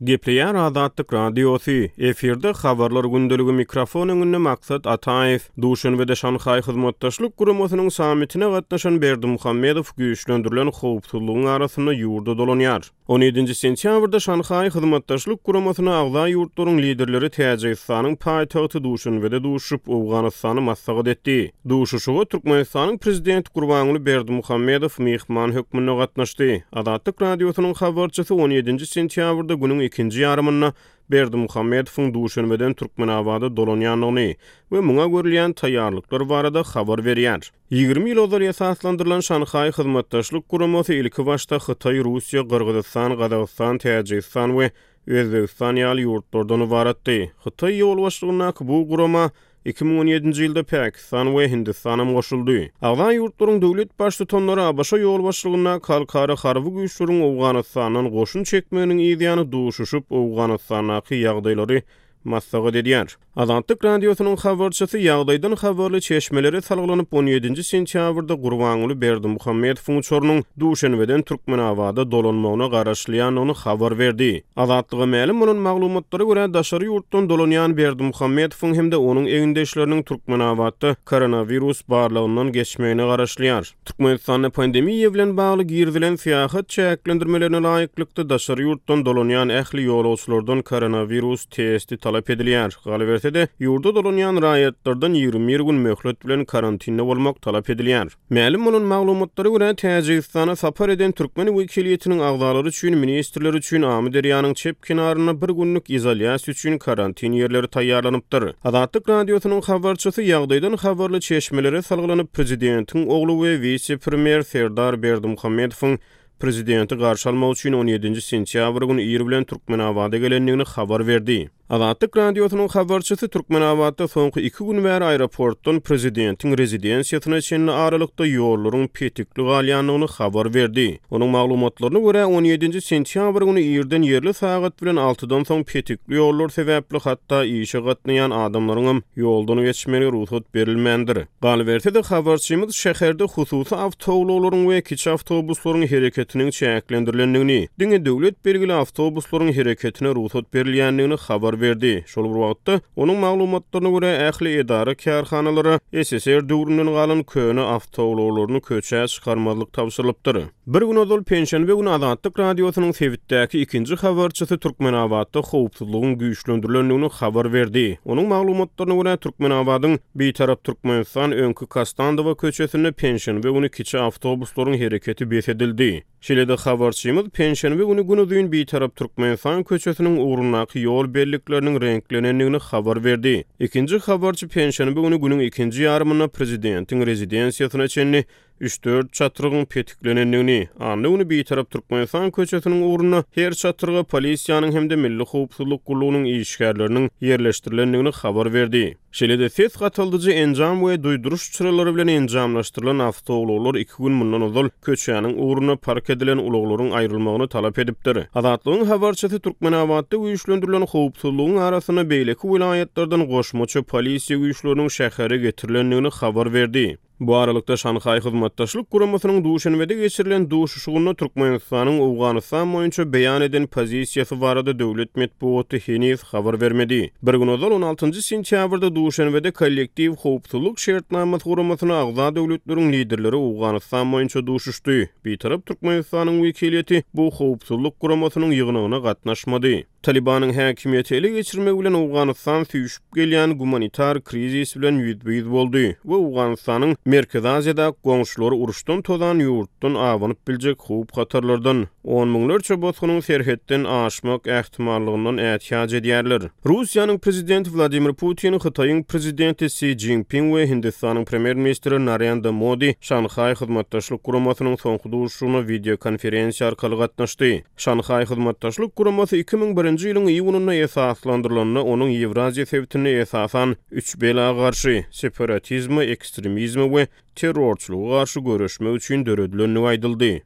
Gepleýär Azatlyk Radiosy, efirde Habarlar gündeligi mikrofon öňünde Maksat Ataýew. Duşenbede Şanhaý Hyzmatdaşlyk Guramasynyň sammitine gatnaşan Berdimuhamedow güýçlendirilen howpsuzlygyň arasynda ýurda dolanýar. On ýedinji sentýabrda Şanhaý Hyzmatdaşlyk Guramasyna agza ýurtlaryň liderleri Täjigistanyň paýtagty Duşenbede duşuşyp, Owganystany maslahat etdi. Duşuşyga Türkmenistanyň Prezidenti Gurbanguly Berdimuhamedow myhman hökmünde gatnaşdy. Azatlyk Radiosynyň habarçysy on ýedinji sentýabrda günüň ikinji ýarymynda Berdimuhamedowyň Duşenbeden Türkmenabada dolanýandygyny we muňa görülýän taýýarlyklar barada habar berýär. 20 ýyl ozal esaslandyrylan Şanhaý Hyzmatdaşlyk Guramasy ilkibaşda Hytaý, Russiýa, Gyrgyzystan, Gazagystan, Täjigistan we Özbegistan ýaly ýurtlardan ybaratdy. Hytaý ýolbaşçylygyndaky bu gurama 2017-nji ýylda Pakistan we Hindistanam goşuldy. Agza ýurtlaryň döwlet Baştutanlary ABŞ ýolbaşçylygyndaky halkara harby güýçleriň Owganystandan goşun çekmeginiň yzýany duşuşyp, Owganystandaky ýagdaýlary maslahat edýär. Azatlyk Radiosynyň habarçysy ýagdaýdan habarly çeşmelere salgylanyp, on ýedinji sentýabrda Gurbanguly Berdimuhamedowyň uçarynyň Duşenbeden Türkmenabada dolanmagyna garaşylýandygyny habar berdi. Azatlyga mälim bolan maglumatlara görä, daşary ýurtdan dolanýan Berdimuhamedowyň hem-de onuň egindeşleriniň Türkmenabatda koronawirus barlagyndan geçmegine garaşylýar. Türkmenistanda pandemiýa bilen bagly girizilen syýahat çäklendirmelerine laýyklykda, daşary ýurtdan dolanýan ähli ýolagçylardan koronawirus testi talap edilýär. Galyberse-de, ýurda dolanýan raýatlardan 21 gün möhlet bilen karantinde bolmak talap edilýär. Mälim bolan maglumatlara görä, Täjigistana sapar eden türkmen wekiliýetiniň agzalary üçin, ministrler üçin Amyderýanyň çep kenarynda bir günlük izolýasiýa üçin karantin ýerleri taýýarlanypdyr. Azatlyk Radiosynyň habarçysy ýagdaýdan habarly çeşmelere salgylanyp, prezidentiň ogly we wise-premýer Serdar Berdimuhamedowyň prezidenti garşy almak üçin on ýedinji sentýabr güni ir bilen Türkmenabada gelendigini habar berdi. Azatlyk Radiosynyň habarçysy Türkmenabatda soňky iki gün bäri aeroportdan prezidentiň rezidensiýasyna çenli aralykda ýollaryň petikli galýandygyny habar berdi. Onuň maglumatlaryna görä, on ýedinji sentýabr güni irden ýerli sagat bilen altydan soň petikli ýollar sebäpli hatda işe gatnaýan adamlaryňam ýoldan geçmegine rugsat berilmändir. Galyberse-de, habarçymyz şäherde hususy awtoulaglaryň we kiçi awtobuslaryň hereketiniň çäklendirilendigini, diňe döwlet belgili awtobuslaryň hereketine rugsat berilýändigini habar berdi. Şol bir wagtda, onuň maglumatlaryna görä, ähli edara-kärhanalara SSR döwründen galan köne awtoulaglaryny köçä çykarmazlyk tabşyrylypdyr. Bir gün ozal, penşenbe güni Azatlyk Radiosynyň sebitdäki ikinji habarçysy Türkmenabatda howpsuzlygyň güýçlendirilendigini habar berdi. Onuň maglumatlaryna görä, Türkmenabadyň Bitarap Türkmenistan öňki Kostandowa köçesinde penşenbe güni kiçi awtobuslaryň hereketi bes edildi. Şeýle-de habarçymyz penşenbe güni günuzyn Bitarap Türkmenistan köçesiniň ugrundaky ýol bellikleriniň reňklenendigini habar berdi. Ikinji habarçy penşenbe güni günüň ikinji ýarymynda prezidentiň rezidensiýasyna çenli üç-dört çatrygyň petiklenendigini, anna güni Bitarap Türkmenistan köçesiniň ugrunda her çatryga polisiýanyň hem-de Milli howpsuzlyk gullugynyň işgärleriniň ýerleşdirilendigini habar berdi. Şeýle-de ses gataldyjy enjam we duýduryş çyralary bilen enjamlaşdyrylan awtoulaglar iki gün mundan ozal köçäniň ugrunda park edilen ulaglaryň aýrylmagyny talap edipdir. Azatlygyň habarçysy Türkmenabatda güýçlendirilen howpsuzlygyň arasynda beýleki welaýatlardan goşmaça polisiýa güýçleriniň şähere getirilendigini habar berdi. Bu aralykda, Şanhaý Hyzmatdaşlyk Guramasynyň Duşenbede geçirilen duşuşygynda Türkmenistanyň Owganystan boýunça beýan eden pozisiýasy barada döwlet metbugaty heniz habar bermedi. Bir gün ozal, on altynjy sentýabrda Duşenbede Kollektiw howpsuzlyk şertnamasy guramasyna agza döwletleriň liderleri Owganystan boýunça duşuşdy. Bitarap Türkmenistanyň wekiliýeti bu howpsuzlyk guramasynyň ýygnagyna gatnaşmady. Talybanyň häkimiýeti ele geçirmegi bilen Owganystan süýşüp gelýän gumanitar krizis bilen ýüzbe-ýüz boldy we Owganystanyň Merkezi Aziýadaky goňşulary uruşdan tozan ýurtdan abanyp biljek howp-hatarlardan, on müňlerçe bosgunyň serhetden aşmak ähtimallygyndan ätiýaç edýärler. Russiýanyň prezidenti Wladimir Putin, Hytaýyň prezidenti Si Szinpin we Hindistanyň premýer-ministri Narendra Modi Şanhaý Hyzmatdaşlyk Guramasynyň soňky duşuşygyna wideokonferensiýa arkaly gatnaşdy. Şanhaý Hyzmatdaşlyk Guramasy 2001-nji ýylyň iýunynda esaslandyrylanda, onuň Ýewraziýa sebitinde esasan üç bela garşy, separatizme, ekstremizme we terrorçylyga garşy göreşmek üçin döredilendigi aýdyldy.